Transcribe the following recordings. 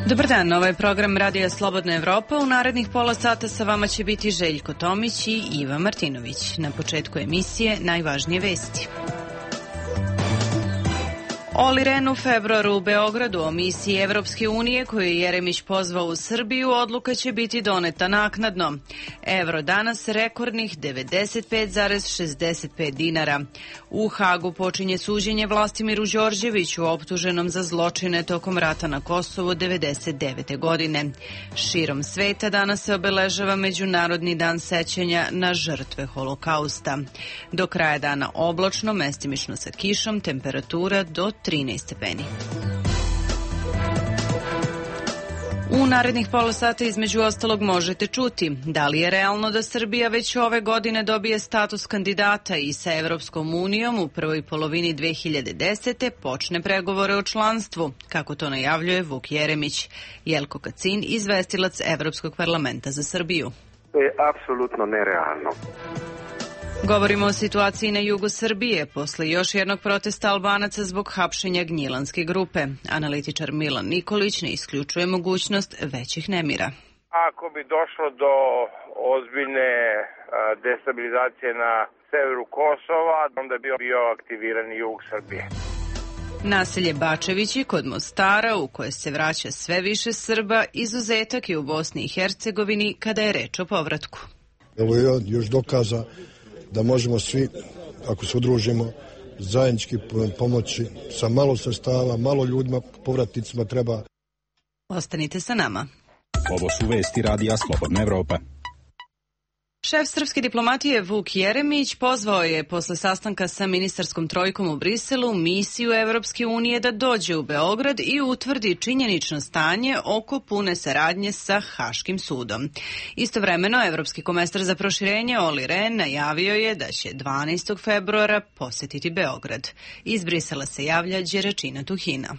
Dobar dan, ovo je program Radija Slobodna Evropa. U narednih pola sata sa vama će biti Željko Tomić i Iva Martinović. Na početku emisije najvažnije vesti. Olli Rehn u februaru u Beogradu o misiji Evropske unije koju je Jeremić pozvao u Srbiju, odluka će biti doneta naknadno. Evro danas rekordnih 95,65 dinara. U Hagu počinje suđenje Vlastimiru Đorđeviću, optuženom za zločine tokom rata na Kosovu 1999. godine. Širom sveta danas se obeležava Međunarodni dan sećanja na žrtve Holokausta. Do kraja dana oblačno, mestimično sa kišom, temperatura do 13 stepeni. U narednih pola sata između ostalog možete čuti da li je realno da Srbija već ove godine dobije status kandidata i sa Evropskom unijom u prvoj polovini 2010. počne pregovore o članstvu, kako to najavljuje Vuk Jeremić. Jelko Kacin, izvestilac Evropskog parlamenta za Srbiju. To je apsolutno nerealno. Govorimo o situaciji na jugu Srbije posle još jednog protesta Albanaca zbog hapšenja Gnjilanske grupe. Analitičar Milan Nikolić ne isključuje mogućnost većih nemira. Ako bi došlo do ozbiljne destabilizacije na severu Kosova, onda bi bio aktiviran jug Srbije. Naselje Bačevići kod Mostara, u koje se vraća sve više Srba, izuzetak je u Bosni i Hercegovini kada je reč o povratku. Evo je još dokaza da možemo svi, ako se udružimo, zajednički pomoći sa malo sredstava, malo ljudima, povratnicima treba. Ostanite sa nama. Ovo su vesti Radija Slobodna Evropa. Šef srpske diplomatije Vuk Jeremić pozvao je posle sastanka sa ministarskom trojkom u Briselu misiju Evropske unije da dođe u Beograd i utvrdi činjenično stanje oko pune saradnje sa Haškim sudom. Istovremeno, evropski komesar za proširenje Olli Rehn najavio je da će 12. februara posetiti Beograd. Iz Brisela se javlja Đeračina Tuhina.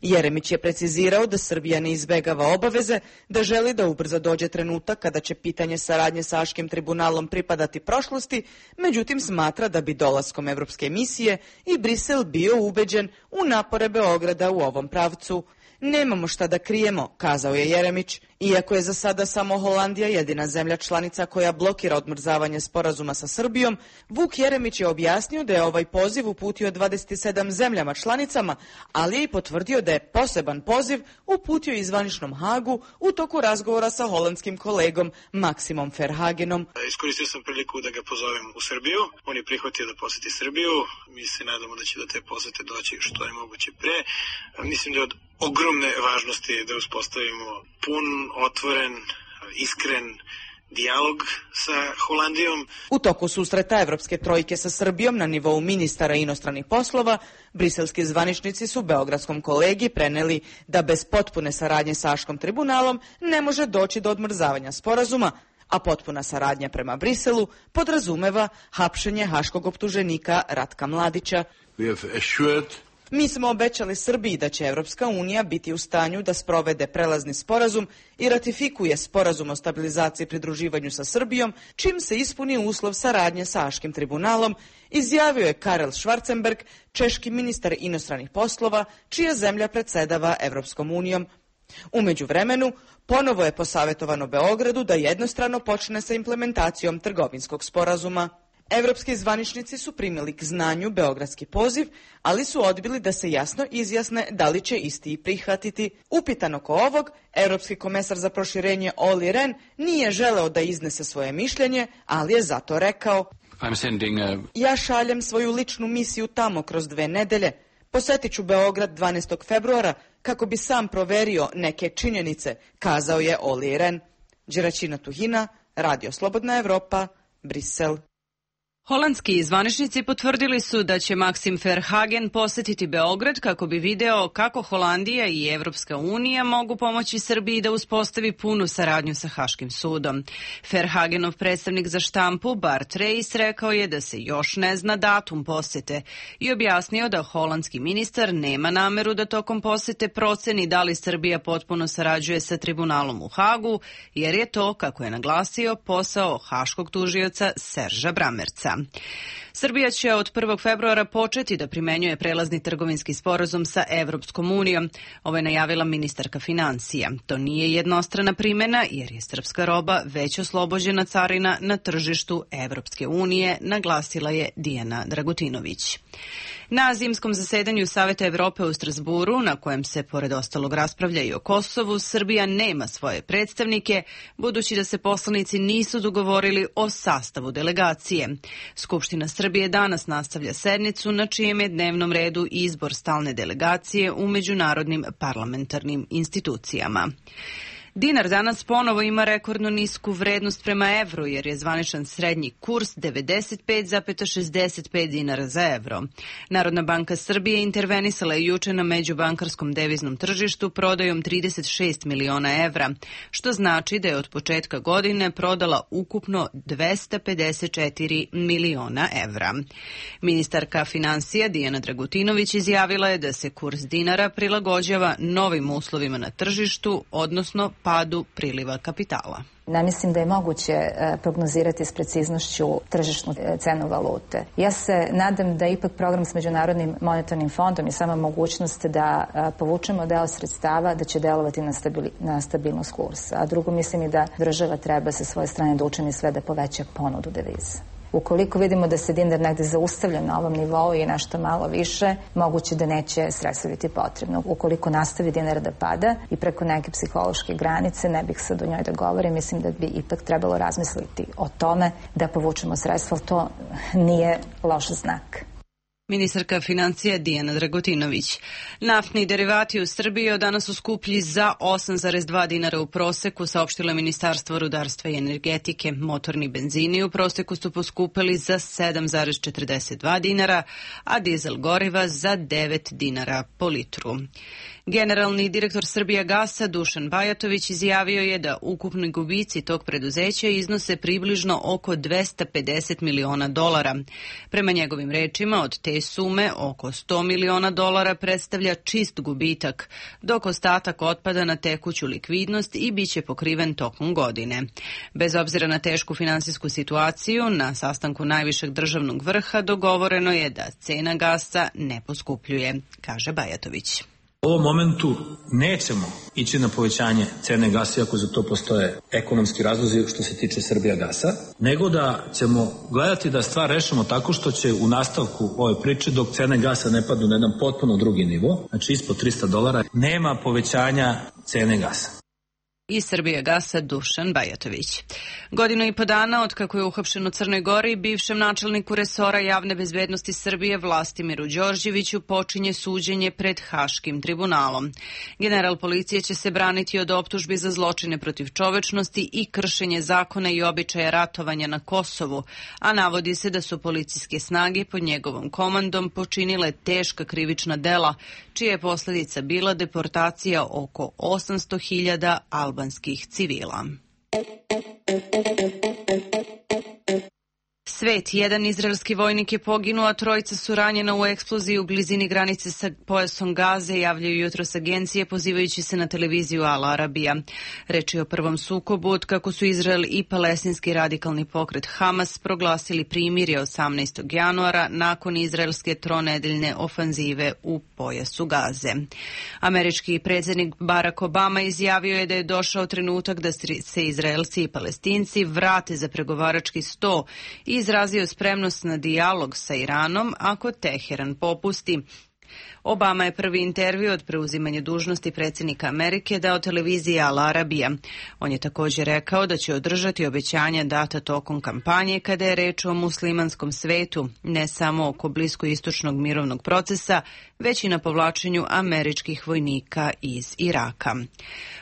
Jeremić je precizirao da Srbija ne izbegava obaveze, da želi da ubrzo dođe trenutak kada će pitanje saradnje sa Haškim tribunalom pripadati prošlosti, međutim smatra da bi dolaskom evropske misije i Brisel bio ubeđen u napore Beograda u ovom pravcu. Nemamo šta da krijemo, kazao je Jeremić. Iako je za sada samo Holandija jedina zemlja članica koja blokira odmrzavanje sporazuma sa Srbijom, Vuk Jeremić je objasnio da je ovaj poziv uputio 27 zemljama članicama, ali je i potvrdio da je poseban poziv uputio i zvaničnom Hagu u toku razgovora sa holandskim kolegom Maksimom Verhagenom. Iskoristio sam priliku da ga pozovem u Srbiju. On je prihvatio da poseti Srbiju. Mi se nadamo da će do te posete doći što je moguće pre. Mislim da je od ogromne važnosti da uspostavimo pun, otvoren, iskren dijalog sa Holandijom. U toku susreta Evropske trojke sa Srbijom na nivou ministara inostranih poslova, briselski zvaničnici su beogradskom kolegi preneli da bez potpune saradnje sa Haškim tribunalom ne može doći do odmrzavanja sporazuma, a potpuna saradnja prema Briselu podrazumeva hapšenje haškog optuženika Ratka Mladića. Mi smo obećali Srbiji da će Evropska unija biti u stanju da sprovede prelazni sporazum i ratifikuje sporazum o stabilizaciji i pridruživanju sa Srbijom, čim se ispuni uslov saradnje sa Haškim tribunalom, izjavio je Karel Schwarzenberg, češki ministar inostranih poslova, čija zemlja predsedava Evropskom unijom. U međuvremenu, ponovo je posavjetovano Beogradu da jednostrano počne sa implementacijom trgovinskog sporazuma. Evropski zvaničnici su primili k znanju beogradski poziv, ali su odbili da se jasno izjasne da li će isti i prihvatiti. Upitan oko ovog, evropski komesar za proširenje Olli Rehn nije želeo da iznese svoje mišljenje, ali je zato rekao: Ja šaljem svoju ličnu misiju tamo kroz 2 nedelje. Posetit ću Beograd 12. februara kako bi sam proverio neke činjenice, kazao je Olli Rehn. Đeračina Tuhina, Radio Slobodna Evropa, Brisel. Holandski zvaničnici potvrdili su da će Maksim Verhagen posetiti Beograd kako bi video kako Holandija i Evropska unija mogu pomoći Srbiji da uspostavi punu saradnju sa Haškim sudom. Verhagenov predstavnik za štampu Bart Reis rekao je da se još ne zna datum posete i objasnio da holandski ministar nema nameru da tokom posete proceni da li Srbija potpuno sarađuje sa tribunalom u Hagu, jer je to, kako je naglasio, posao haškog tužioca Serža Bramerca. dinara. Srbija će od 1. februara početi da primenjuje prelazni trgovinski sporazum sa Evropskom unijom. Ovo je najavila ministarka financija. To nije jednostrana primjena jer je srpska roba već oslobođena carina na tržištu Evropske unije, naglasila je Dijana Dragutinović. Na zimskom zasedanju Saveta Evrope u Strasburu, na kojem se pored ostalog raspravlja i o Kosovu, Srbija nema svoje predstavnike, budući da se poslanici nisu dogovorili o sastavu delegacije. Skupština Srbije danas nastavlja sednicu na čijem je dnevnom redu izbor stalne delegacije u međunarodnim parlamentarnim institucijama. Dinar danas ponovo ima rekordno nisku vrednost prema evru jer je zvaničan srednji kurs 95,65 dinara za evro. Narodna banka Srbije intervenisala je juče na međubankarskom deviznom tržištu prodajom 36 miliona evra, što znači da je od početka godine prodala ukupno 254 miliona evra. Ministarka financija Dijana Dragutinović izjavila je da se kurs dinara prilagođava novim uslovima na tržištu, odnosno padu priliva kapitala. Ne mislim da je moguće prognozirati s preciznošću tržišnu cenu valute. Ja se nadam da ipak program s Međunarodnim monetarnim fondom i sama mogućnost da povučemo deo sredstava da će delovati na stabilnost kursa. A drugo, mislim i da država treba sa svoje strane da učini sve da poveća ponudu deviza. Ukoliko vidimo da se dinar negde zaustavlja na ovom nivou i nešto malo više, moguće da neće sredstva biti potrebno. Ukoliko nastavi dinar da pada i preko neke psihološke granice, ne bih sad o njoj da govorim, mislim da bi ipak trebalo razmisliti o tome da povučemo sredstva, ali to nije loš znak. Ministarka financija Dijana Dragutinović. Naftni derivati u Srbiji od danas su skuplji za 8,2 dinara u proseku, saopštilo je Ministarstvo rudarstva i energetike. Motorni benzini u proseku su poskupili za 7,42 dinara, a dizel goriva za 9 dinara po litru. Generalni direktor Srbijagasa Dušan Bajatović izjavio je da ukupni gubici tog preduzeća iznose približno oko 250 miliona dolara. Prema njegovim rečima, od te sume oko 100 miliona dolara predstavlja čist gubitak, dok ostatak otpada na tekuću likvidnost i biće pokriven tokom godine. Bez obzira na tešku finansijsku situaciju, na sastanku najvišeg državnog vrha dogovoreno je da cena gasa ne poskupljuje, kaže Bajatović. U ovom momentu nećemo ići na povećanje cene gasa, iako za to postoje ekonomski razlozi što se tiče Srbijagasa, nego da ćemo gledati da stvar rešimo tako što će u nastavku ove priče, dok cene gasa ne padnu na jedan potpuno drugi nivo, znači ispod $300, nema povećanja cene gasa. Iz Srbijagasa Dušan Bajatović. Godinu i po dana od kako je uhapšen u Crnoj Gori, bivšem načelniku resora javne bezbednosti Srbije Vlastimiru Đorđeviću počinje suđenje pred Haškim tribunalom. General policije će se braniti od optužbi za zločine protiv čovečnosti i kršenje zakona i običaja ratovanja na Kosovu, a navodi se da su policijske snage pod njegovom komandom počinile teška krivična dela, čija je posljedica bila deportacija oko 800.000 albanskih civila. Svet, jedan izraelski vojnik je poginuo, a trojica su ranjena u eksploziji u blizini granice sa pojasom Gaze, javljaju jutros agencije pozivajući se na televiziju Al Arabija. Reč je o prvom sukobu od kako su Izrael i palestinski radikalni pokret Hamas proglasili primirje 18. januara nakon izraelske tronedeljne ofanzive u pojasu Gaze. Američki predsjednik Barack Obama izjavio je da je došao trenutak da se Izraelci i Palestinci vrate za pregovarački sto i izrazio spremnost na dijalog sa Iranom ako Teheran popusti. Obama je prvi intervju od preuzimanja dužnosti predsjednika Amerike dao televiziji Al Arabija. On je također rekao da će održati obećanja data tokom kampanje kada je reč o muslimanskom svetu, ne samo oko bliskoistočnog mirovnog procesa, već i na povlačenju američkih vojnika iz Iraka.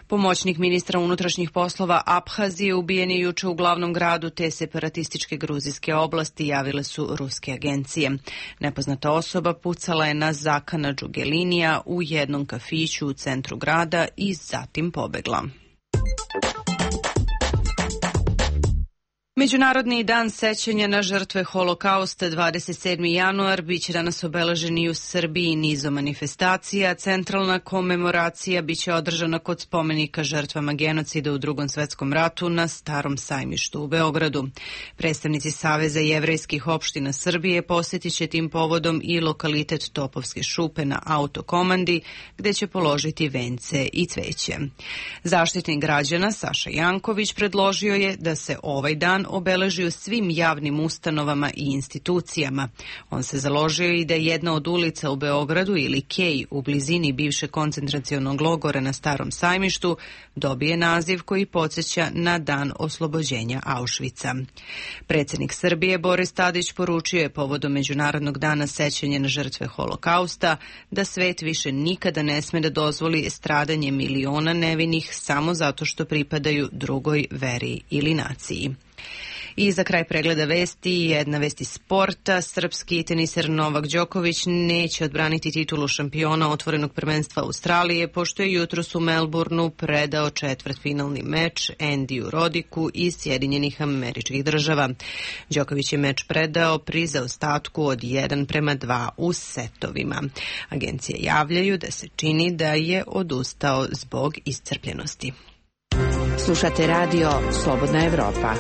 Pomoćnik ministra unutrašnjih poslova Abhazije ubijen je juče u glavnom gradu te separatističke gruzijske oblasti, javile su ruske agencije. Nepoznata osoba pucala je na Zakana Džugelinija u jednom kafiću u centru grada i zatim pobegla. Međunarodni dan sećanja na žrtve Holokausta 27. januar biće danas obeležen i u Srbiji nizom manifestacija. Centralna komemoracija biće održana kod spomenika žrtvama genocida u Drugom svetskom ratu na Starom sajmištu u Beogradu. Predstavnici Saveza jevrejskih opština Srbije posjetit će tim povodom i lokalitet Topovske šupe na Autokomandi, gde će položiti vence i cveće. Zaštitnik građana Saša Janković predložio je da se ovaj dan obeleži u svim javnim ustanovama i institucijama. On se založio i da jedna od ulica u Beogradu ili Kej u blizini bivšeg koncentracionog logora na Starom sajmištu dobije naziv koji podsjeća na dan oslobođenja Auschwitza. Predsjednik Srbije Boris Tadić poručio je povodom Međunarodnog dana sećanja na žrtve Holokausta da svet više nikada ne sme da dozvoli stradanje miliona nevinih samo zato što pripadaju drugoj veri ili naciji. I za kraj pregleda vesti, jedna vest iz sporta. Srpski teniser Novak Đoković neće odbraniti titulu šampiona otvorenog prvenstva Australije, pošto je jutros u Melbourneu predao četvrtfinalni meč Andiju Rodiku iz Sjedinjenih Američkih Država. Đoković je meč predao pri zaostatku od 1:2 u setovima. Agencije javljaju da se čini da je odustao zbog iscrpljenosti. Slušate radio Slobodna Evropa.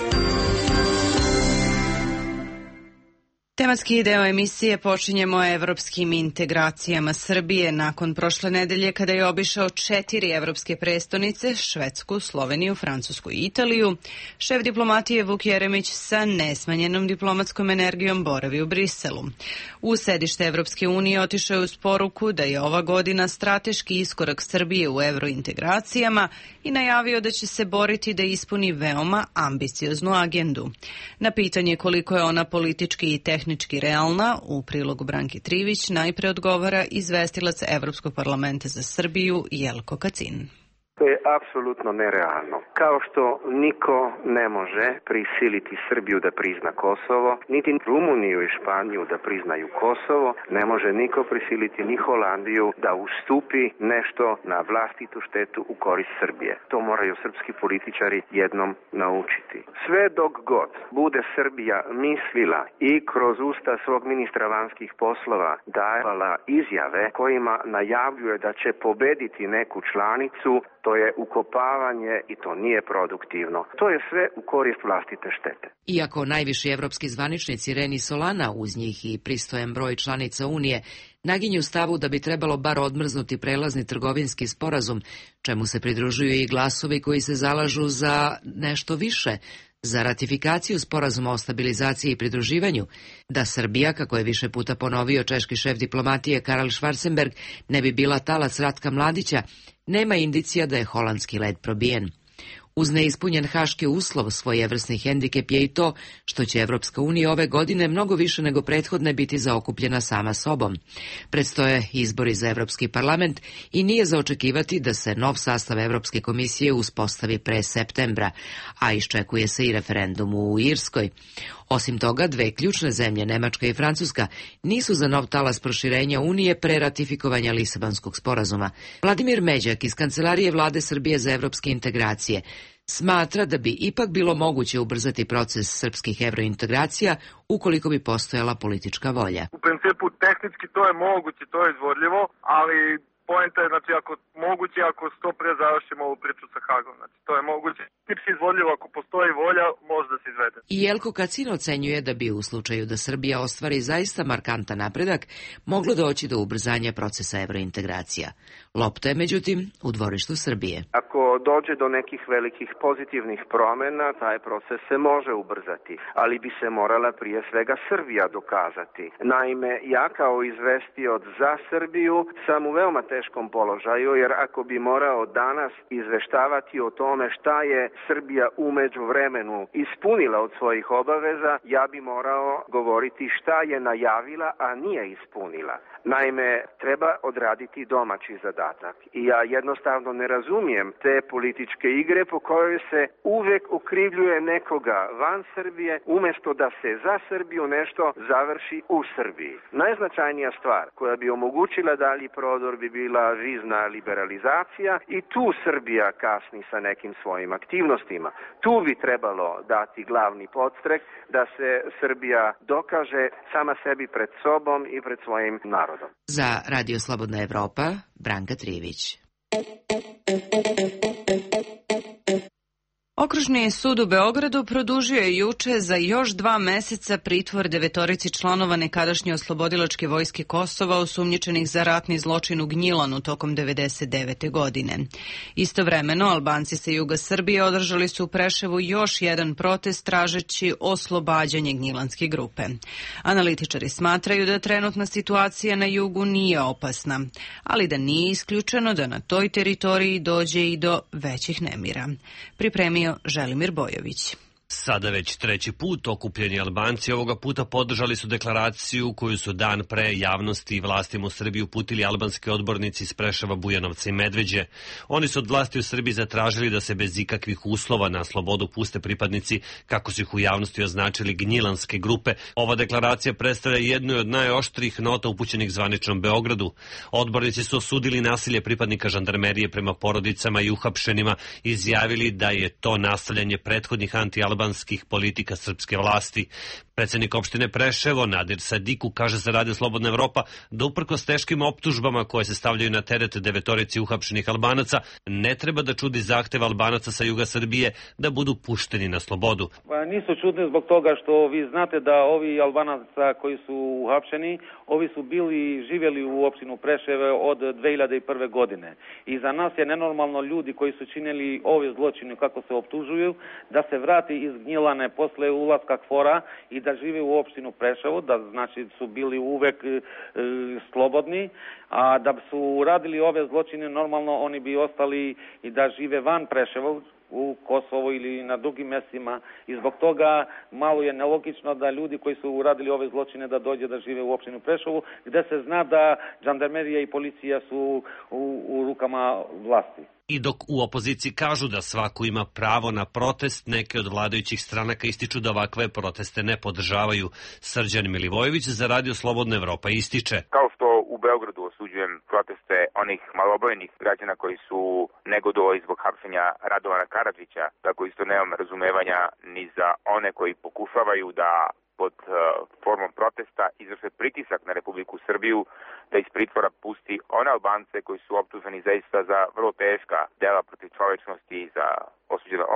Tematski deo emisije počinjemo evropskim integracijama Srbije nakon prošle nedelje kada je obišao 4 evropske prestonice, Švedsku, Sloveniju, Francusku i Italiju. Šef diplomatije Vuk Jeremić sa nesmanjenom diplomatskom energijom boravi u Briselu. U sedište Evropske unije otišao je uz poruku da je ova godina strateški iskorak Srbije u evrointegracijama i najavio da će se boriti da ispuni veoma ambicioznu agendu. Na pitanje koliko je ona politički i tehnički realna, u prilogu Branki Trivić najpre odgovara izvestilac Evropskog parlamenta za Srbiju Jelko Kacin. To je apsolutno nerealno. Kao što niko ne može prisiliti Srbiju da prizna Kosovo, niti Rumuniju i Španiju da priznaju Kosovo, ne može niko prisiliti ni Holandiju da ustupi nešto na vlastitu štetu u korist Srbije. To moraju srpski političari jednom naučiti. Sve dok god bude Srbija mislila i kroz usta svog ministra vanjskih poslova davala izjave kojima najavljuje da će pobediti neku članicu, to je ukopavanje i to nije produktivno. To je sve u korist vlastite štete. Iako najviši evropski zvaničnici Ren i Solana, uz njih i pristojan broj članica Unije, naginju stavu da bi trebalo bar odmrznuti prelazni trgovinski sporazum, čemu se pridružuju i glasovi koji se zalažu za nešto više, za ratifikaciju sporazuma o stabilizaciji i pridruživanju, da Srbija, kako je više puta ponovio češki šef diplomatije Karl Schwarzenberg, ne bi bila talac Ratka Mladića, nema indicija da je holandski led probijen. Uz neispunjen haški uslov, svojevrsni hendikep je i to što će Evropska unija ove godine mnogo više nego prethodne biti zaokupljena sama sobom. Predstoje izbori za Evropski parlament i nije za očekivati da se nov sastav Evropske komisije uspostavi pre septembra, a iščekuje se i referendum u Irskoj. Osim toga, dve ključne zemlje, Nemačka i Francuska, nisu za nov talas proširenja Unije pre ratifikovanja Lisabonskog sporazuma. Vladimir Međak iz Kancelarije Vlade Srbije za evropske integracije smatra da bi ipak bilo moguće ubrzati proces srpskih evrointegracija ukoliko bi postojala politička volja. U principu tehnički to je moguće, to je izvodljivo, ali poenta je, znači, ako moguće, ako što pre završimo ovu priču sa Hagom, znači, to je moguće. Tipsi izvodljivo, ako postoji volja, može da se izvede. I Jelko Kacin ocenjuje da bi u slučaju da Srbija ostvari zaista markantan napredak, moglo doći do ubrzanja procesa evrointegracija. Lopta je, međutim, u dvorištu Srbije. Ako dođe do nekih velikih pozitivnih promjena, taj proces se može ubrzati, ali bi se morala prije svega Srbija dokazati. Naime, ja kao izvestioc za Srbiju sam u veoma teškom položaju, jer ako bi morao danas izveštavati o tome šta je Srbija u međuvremenu ispunila od svojih obaveza, ja bi morao govoriti šta je najavila, a nije ispunila. Naime, treba odraditi domaći zadatak. podatak. I ja jednostavno ne razumijem te političke igre po kojoj se uvek okrivljuje nekoga van Srbije, umjesto da se za Srbiju nešto završi u Srbiji. Najznačajnija stvar koja bi omogućila dalji prodor bi bila vizna liberalizacija i tu Srbija kasni sa nekim svojim aktivnostima. Tu bi trebalo dati glavni podstrek da se Srbija dokaže sama sebi pred sobom i pred svojim narodom. Za Radio Slobodna Evropa, Branka Trivić. Okružni sud u Beogradu produžio je juče za još 2 meseca pritvor 9 članova nekadašnje oslobodilačke vojske Kosova osumnjičenih za ratni zločin u Gnjilanu tokom 1999. godine. Istovremeno, Albanci sa juga Srbije održali su u Preševu još jedan protest tražeći oslobađanje gnjilanske grupe. Analitičari smatraju da trenutna situacija na jugu nije opasna, ali da nije isključeno da na toj teritoriji dođe i do većih nemira. Pripremio Želimir Bojović. Sada već treći put okupljeni Albanci ovoga puta podržali su deklaraciju koju su dan pre javnosti i vlastima u Srbiji uputili albanski odbornici iz Preševa, Bujanovca i Medveđe. Oni su od vlasti u Srbiji zatražili da se bez ikakvih uslova na slobodu puste pripadnici, kako su ih u javnosti označili, gnjilanske grupe. Ova deklaracija predstavlja jednu od najoštrijih nota upućenih zvaničnom Beogradu. Odbornici su osudili nasilje pripadnika žandarmerije prema porodicama i uhapšenima, izjavili da je to nastavljanje prethodnih anti-albanskih politika srpske vlasti. Predsjednik opštine Preševo, Nadir Sadiku, kaže za Radio Slobodna Evropa da uprkos teškim optužbama koje se stavljaju na teret 9 uhapšenih Albanaca, ne treba da čudi zahtev Albanaca sa juga Srbije da budu pušteni na slobodu. Nisu čudni zbog toga što vi znate da ovi Albanaca koji su uhapšeni, ovi su živjeli u opštinu Preševe od 2001. godine. I za nas je nenormalno ljudi koji su činili ove zločine kako se optužuju, da se vrati iz Gnjilane posle ulaska KFOR-a i da žive u opštinu Preševo, da znači su bili uvek slobodni, a da su radili ove zločine normalno oni bi ostali i da žive van Preševa, u Kosovo ili na drugim mjestima i zbog toga malo je nelogično da ljudi koji su uradili ove zločine da dođe da žive u opštinu Preševu, gde se zna da žandarmerija i policija su u rukama vlasti. I dok u opoziciji kažu da svako ima pravo na protest, neke od vladajućih stranaka ističu da ovakve proteste ne podržavaju. Srđan Milivojević za Radio Slobodna Evropa ističe: Kao što u Beogradu osuđujem proteste onih malobrojnih građana koji su negodovali zbog hapšenja Radovana Karadžića, tako isto nemam razumevanja ni za one koji pokušavaju da pod formom protesta izvrše pritisak na Republiku Srbiju da iz pritvora pusti one Albance koji su optuženi zaista za vrlo teška dela protiv čovečnosti i za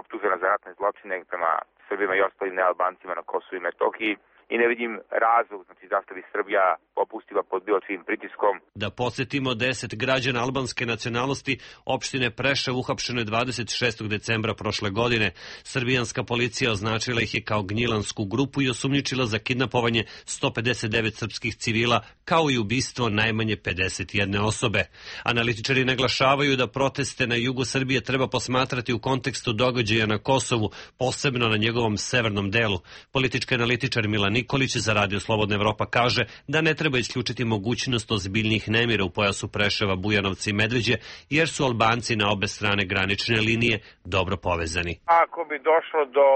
optužena za ratne zločine prema Srbima i ostalim nealbancima na Kosovu i Metohiji. I ne vidim razlog, znači zašto bi Srbija popustila pod bilo čijim pritiskom. Da podsjetimo, 10 građana albanske nacionalnosti opštine Preševo uhapšeno je 26. decembra prošle godine. Srbijanska policija označila ih je kao gnjilansku grupu i osumnjičila za kidnapovanje 159 srpskih civila, kao i ubistvo najmanje 51 osobe. Analitičari naglašavaju da proteste na jugu Srbije treba posmatrati u kontekstu događaja na Kosovu, posebno na njegovom severnom delu. Politički analitičar Milan Nikolić za Radio Slobodna Evropa kaže da ne treba isključiti mogućnost ozbiljnih nemira u pojasu Preševa, Bujanovca i Medveđe, jer su Albanci na obe strane granične linije dobro povezani. Ako bi došlo do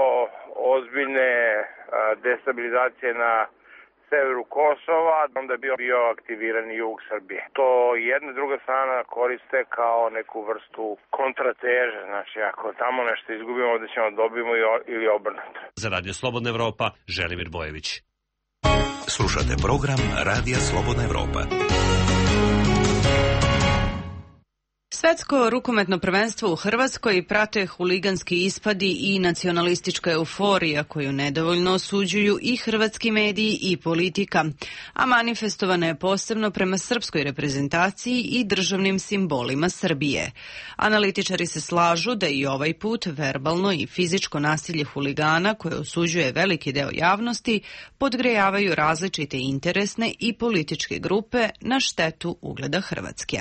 ozbiljne destabilizacije na severu Kosova, onda bi bio aktiviran jug Srbije. To jedna i druga strana koriste kao neku vrstu kontrateže. Znači, ako tamo nešto izgubimo, ovdje ćemo dobijemo ili obrnuto. Za Radio Slobodna Evropa, Želimir Bojević. Slušate program Radija Slobodna Evropa. Svetsko rukometno prvenstvo u Hrvatskoj prate huliganski ispadi i nacionalistička euforija koju nedovoljno osuđuju i hrvatski mediji i politika, a manifestovana je posebno prema srpskoj reprezentaciji i državnim simbolima Srbije. Analitičari se slažu da i ovaj put verbalno i fizičko nasilje huligana koje osuđuje veliki deo javnosti podgrejavaju različite interesne i političke grupe na štetu ugleda Hrvatske.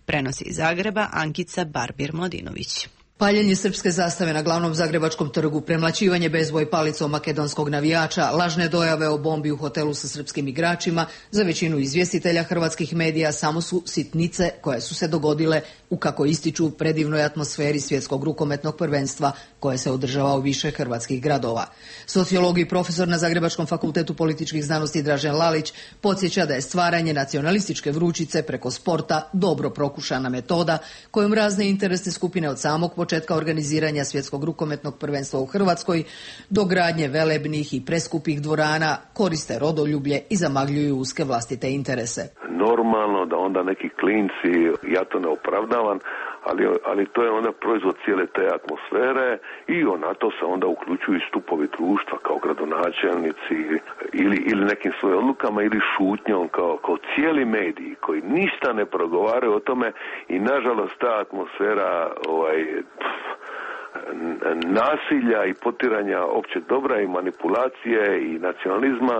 Prenosi iz Zagreba Ankica Barbir-Mladinović. Paljenje srpske zastave na glavnom zagrebačkom trgu, premlaćivanje bezboj palicom makedonskog navijača, lažne dojave o bombi u hotelu sa srpskim igračima, za većinu izvjestitelja hrvatskih medija samo su sitnice koje su se dogodile u, kako ističu, predivnoj atmosferi svjetskog rukometnog prvenstva koje se održava u više hrvatskih gradova. Sociolog i profesor na Zagrebačkom fakultetu političkih znanosti Dražen Lalić podsjeća da je stvaranje nacionalističke vrućice preko sporta dobro prokušana metoda kojom razne interesne skupine od samog početka organiziranja svjetskog rukometnog prvenstva u Hrvatskoj do gradnje velebnih i preskupih dvorana koriste rodoljublje i zamagljuju uske vlastite interese. Normalno da onda neki klinci, ja to ne opravdavam, ali to je onda proizvod cijele te atmosfere i na to se onda uključuju i stupovi društva kao gradonačelnici ili nekim svojim odlukama ili šutnjom kao cijeli mediji koji ništa ne progovaraju o tome i nažalost ta atmosfera nasilja i potiranja općeg dobra i manipulacije i nacionalizma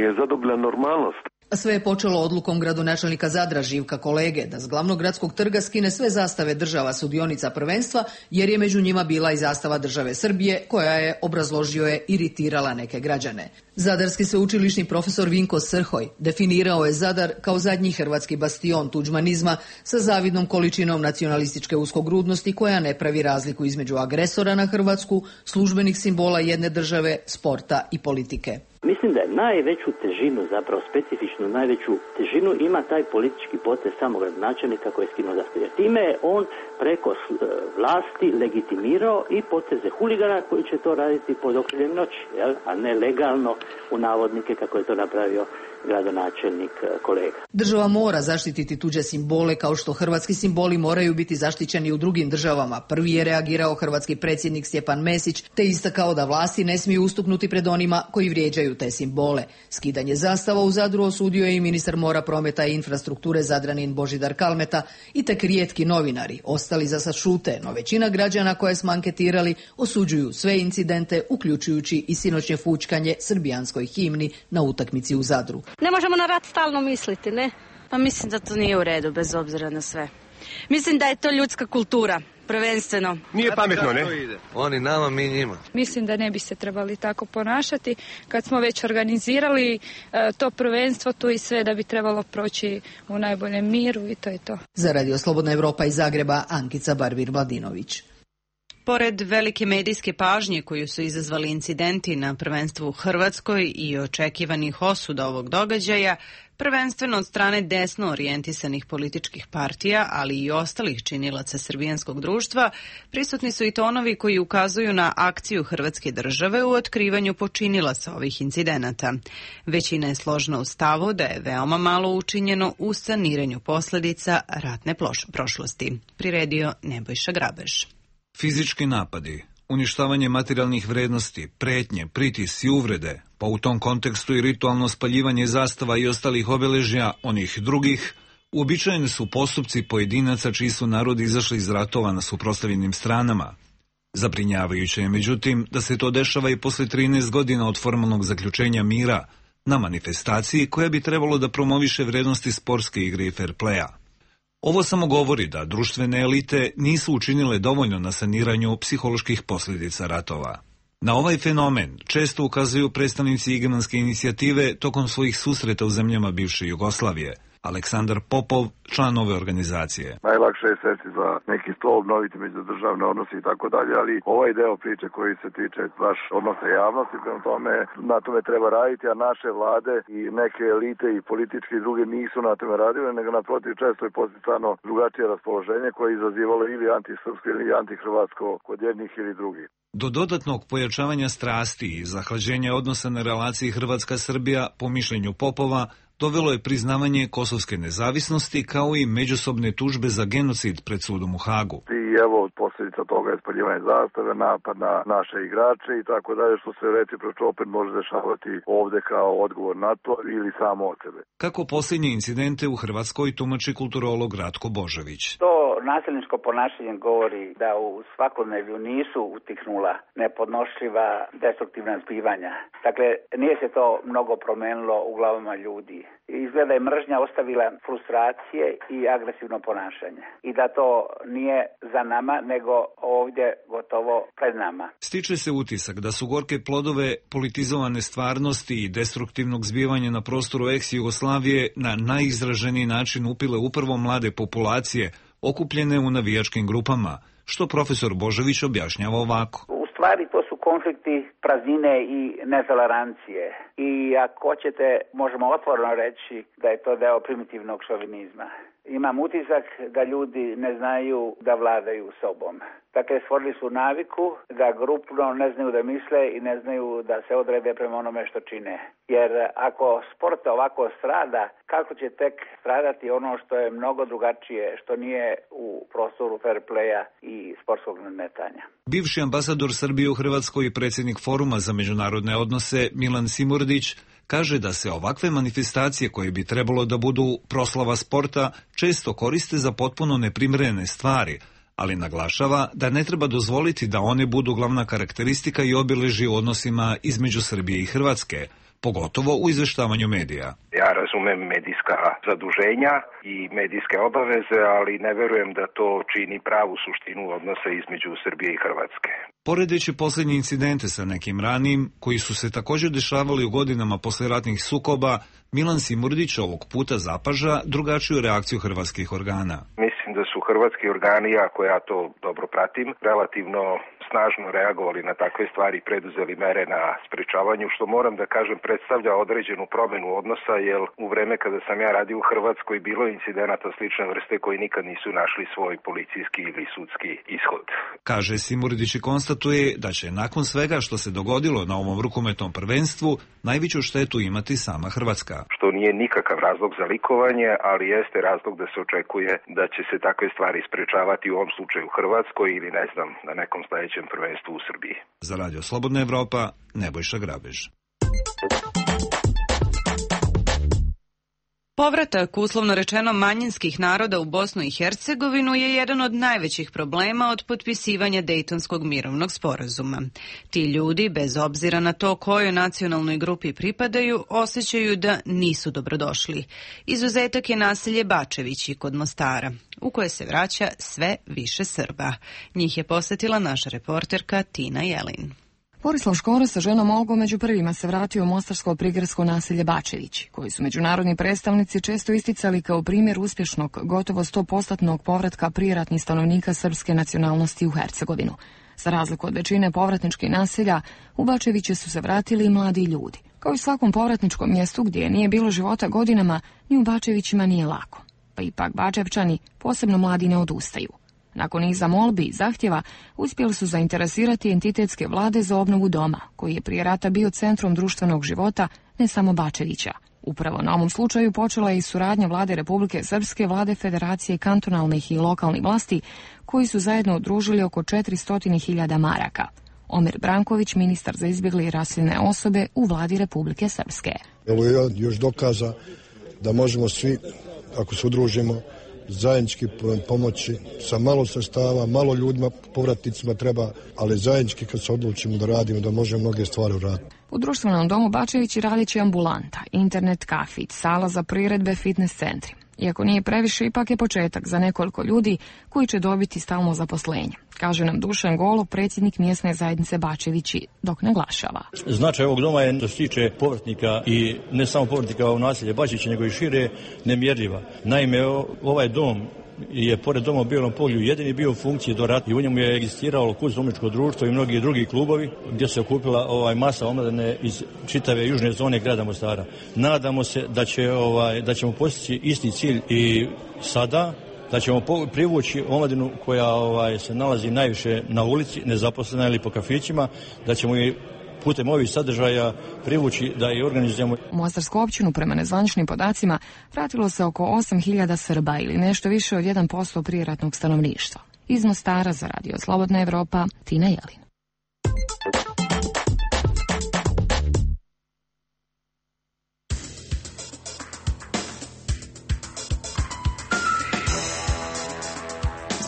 je zadobila normalnost. Sve je počelo odlukom gradonačelnika Zadra Živka Kolege da s glavnog gradskog trga skine sve zastave država sudionica prvenstva jer je među njima bila i zastava države Srbije koja je, obrazložio je, iritirala neke građane. Zadarski sveučilišni profesor Vinko Srhoj definirao je Zadar kao zadnji hrvatski bastion tuđmanizma sa zavidnom količinom nacionalističke uskogrudnosti koja ne pravi razliku između agresora na Hrvatsku, službenih simbola jedne države, sporta i politike. Mislim da je najveću težinu, zapravo specifičnu najveću težinu ima taj politički potez samog gradonačelnika koji je skinuo zastavu. Time je on preko vlasti legitimirao i poteze huligana koji će to raditi pod okriljem noći, a ne legalno u navodnike kako je to napravio gradonačelnik Kolega. Država mora zaštititi tuđe simbole kao što hrvatski simboli moraju biti zaštićeni u drugim državama. Prvi je reagirao hrvatski predsjednik Stjepan Mesić te istakao da vlasti ne smiju ustuknuti pred onima koji vrijeđaju te simbole. Skidanje zastava u Zadru osudio je i ministar mora, prometa i infrastrukture Zadranin Božidar Kalmeta i tek rijetki novinari. Ostali za sad šute, no većina građana koje smo anketirali osuđuju sve incidente, uključujući i sinoćnje fućkanje srbijanskoj himni na utakmici u Zadru. Ne možemo na rat stalno misliti, ne? Pa mislim da to nije u redu, bez obzira na sve. Mislim da je to ljudska kultura, prvenstveno. Nije pametno, ne? Oni nama, mi njima. Mislim da ne bi se trebali tako ponašati. Kad smo već organizirali to prvenstvo, tu i sve da bi trebalo proći u najboljem miru i to je to. Za Radio Slobodna Evropa iz Zagreba, Ankica Barvir-Mladinović. Pored velike medijske pažnje koju su izazvali incidenti na prvenstvu u Hrvatskoj i očekivanih osuda ovog događaja, prvenstveno od strane desno orijentisanih političkih partija, ali i ostalih činilaca srbijanskog društva, prisutni su i tonovi koji ukazuju na akciju Hrvatske države u otkrivanju počinilaca ovih incidenata. Većina je složna u stavu da je veoma malo učinjeno u saniranju posljedica ratne prošlosti. Priredio Nebojša Grabež. Fizički napadi, uništavanje materijalnih vrednosti, pretnje, pritisci i uvrede, pa u tom kontekstu i ritualno spaljivanje zastava i ostalih obeležja onih drugih, uobičajeni su postupci pojedinaca čiji su narodi izašli iz ratova na suprotstavljenim stranama. Zabrinjavajuće je, međutim, da se to dešava i posle 13 godina od formalnog zaključenja mira na manifestaciji koja bi trebalo da promoviše vrednosti sportske igre i fair playa. Ovo samo govori da društvene elite nisu učinile dovoljno na saniranju psiholoških posljedica ratova. Na ovaj fenomen često ukazuju predstavnici igemanske inicijative tokom svojih susreta u zemljama bivše Jugoslavije. Aleksandar Popov, član ove organizacije. Najlakše je sesti za neki stol, obnoviti međudržavne odnose i tako dalje, ali ovaj deo priče koji se tiče baš odnosa javnosti, prema tome na tome treba raditi, a naše vlade i neke elite i političke i druge nisu na tome radile, nego naprotiv često je posticano drugačije raspoloženje koje je izazivalo ili antisrpsko ili antihrvatsko kod jednih ili drugih. Do dodatnog pojačavanja strasti i zahlađenja odnosa na relaciji Hrvatska-Srbija, po mišljenju Popova, dovelo je priznavanje kosovske nezavisnosti kao i međusobne tužbe za genocid pred sudom u Hagu. I evo posljedica toga je spaljivanje zastave, napad na naše igrače i tako dalje, što se recipročno opet može dešavati ovde kao odgovor na to ili samo od sebe. Kako posljednje incidente u Hrvatskoj tumači kulturolog Ratko Božović. To nasilničko ponašanje govori da u svakodnevlju nisu utihnula nepodnošljiva destruktivna zbivanja. Dakle, nije se to mnogo promenilo u glavama ljudi. Izgleda je mržnja ostavila frustracije i agresivno ponašanje. I da to nije za nama, nego ovdje gotovo pred nama. Stiče se utisak da su gorke plodove politizovane stvarnosti i destruktivnog zbivanja na prostoru ex-Jugoslavije na najizraženiji način upile upravo mlade populacije okupljene u navijačkim grupama, što profesor Božović objašnjava ovako. U stvari to su konflikti praznine i netolerancije. I ako hoćete, možemo otvoreno reći da je to deo primitivnog šovinizma. Imam utisak da ljudi ne znaju da vladaju sobom. Dakle, stvorili su naviku da grupno ne znaju da misle i ne znaju da se odrede prema onome što čine. Jer ako sport ovako strada, kako će tek stradati ono što je mnogo drugačije, što nije u prostoru fair playa i sportskog nadmetanja. Bivši ambasador Srbije u Hrvatskoj i predsjednik Foruma za međunarodne odnose Milan Simurdić kaže da se ovakve manifestacije koje bi trebalo da budu proslava sporta često koriste za potpuno neprimerene stvari, ali naglašava da ne treba dozvoliti da one budu glavna karakteristika i obilježje u odnosima između Srbije i Hrvatske, pogotovo u izveštavanju medija. Ja razumem medijska zaduženja i medijske obaveze, ali ne verujem da to čini pravu suštinu odnosa između Srbije i Hrvatske. Poredeći posljednje incidente sa nekim ranijim, koji su se također dešavali u godinama posleratnih sukoba, Milan Simurdić ovog puta zapaža drugačiju reakciju hrvatskih organa. Mislim da su hrvatski organi, ako ja to dobro pratim, relativno snažno reagovali na takve stvari i preduzeli mere na sprečavanju, što moram da kažem predstavlja određenu promenu odnosa, jer u vreme kada sam ja radio u Hrvatskoj bilo incidenata slične vrste koji nikad nisu našli svoj policijski ili sudski ishod. Kaže Simurdić i konstatuje da će nakon svega što se dogodilo na ovom rukometnom prvenstvu najveću štetu imati sama Hrvatska. Što nije nikakav razlog za likovanje, ali jeste razlog da se očekuje da će se takve stvari sprečavati u ovom slučaju u Hrvatskoj ili ne znam na nekom sledećem prvenstvu u Srbiji. Za Radio Slobodna Evropa, Nebojša Grabež. Povratak, uslovno rečeno, manjinskih naroda u Bosnu i Hercegovinu je jedan od najvećih problema od potpisivanja Dejtonskog mirovnog sporazuma. Ti ljudi, bez obzira na to kojoj nacionalnoj grupi pripadaju, osjećaju da nisu dobrodošli. Izuzetak je naselje Bačevići kod Mostara, u koje se vraća sve više Srba. Njih je posetila naša reporterka Tina Jelin. Borislav Škoro sa ženom Olgom među prvima se vratio u mostarsko prigradsko naselje Bačevići, koji su međunarodni predstavnici često isticali kao primjer uspješnog, gotovo 100% povratka prijeratnih stanovnika srpske nacionalnosti u Hercegovinu. Za razliku od većine povratničkih naselja, u Bačeviće su se vratili i mladi ljudi. Kao i svakom povratničkom mjestu gdje nije bilo života godinama, ni u Bačevićima nije lako. Pa ipak Bačevčani, posebno mladi, ne odustaju. Nakon niza molbi i zahtjeva, uspjeli su zainteresirati entitetske vlade za obnovu doma, koji je prije rata bio centrom društvenog života ne samo Bačevića. Upravo na ovom slučaju počela je i suradnja vlade Republike Srpske, vlade Federacije kantonalnih i lokalnih vlasti, koji su zajedno udružili oko 400.000 maraka. Omer Branković, ministar za izbjegle i raseljene osobe u vladi Republike Srpske. Ovo je još dokaza da možemo svi, ako se udružimo, zajednički pomoći sa malo sredstava, malo ljudima, povratnicima treba, ali zajednički kad se odlučimo da radimo, da možemo mnoge stvari uraditi. U društvenom domu Bačevići radit će ambulanta, internet kafić, sala za priredbe, fitness centri. Iako nije previše, ipak je početak za nekoliko ljudi koji će dobiti stalno zaposlenje, kaže nam Dušan Golov, predsjednik mjesne zajednice Bačevići, dok naglašava. Značaj ovog doma je, što se tiče povratnika i ne samo povratnika u naselje Bačevića, nego i šire, nemjerljiva. Naime, ovaj dom je pored doma u Bijelom polju jedini bio u funkciji do rata i u njemu je egzistiralo Kuzmovičko društvo i mnogi drugi klubovi gdje se okupila masa omladine iz čitave južne zone grada Mostara. Nadamo se da ćemo postići isti cilj i sada, da ćemo privući omladinu koja se nalazi najviše na ulici, nezaposlena ili po kafićima, da ćemo i putem ovih sadržaja privući da i organizujemo. U Mostarsku općinu, prema nezvaničnim podacima, vratilo se oko 8.000 Srba ili nešto više od 1% prijeratnog stanovništva. Iz Mostara za Radio Slobodna Evropa, Tina Jelin.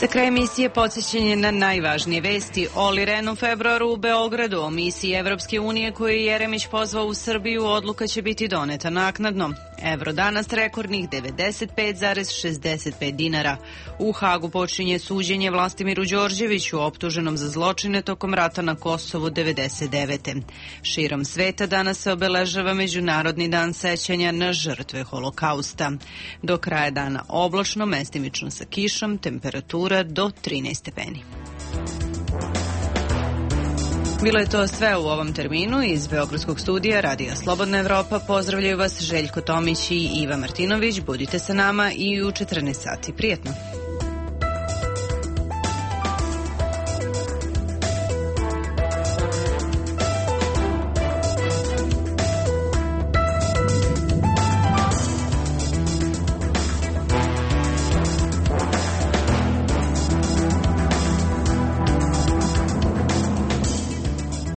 Za kraj emisije podsjećanje na najvažnije vesti. Oli Ren u februaru u Beogradu o misiji Evropske unije koju je Jeremić pozvao u Srbiju, odluka će biti doneta naknadno. Evro danas rekordnih 95,65 dinara. U Hagu počinje suđenje Vlastimiru Đorđeviću, optuženom za zločine tokom rata na Kosovu 99. Širom sveta danas se obeležava Međunarodni dan sećanja na žrtve Holokausta. Do kraja dana oblačno, mestimično sa kišom, temperatura do 13 stepeni. Bilo je to sve u ovom terminu. Iz Beogradskog studija Radija Slobodna Evropa pozdravljaju vas Željko Tomić i Iva Martinović. Budite sa nama i u 14 sati. Prijetno!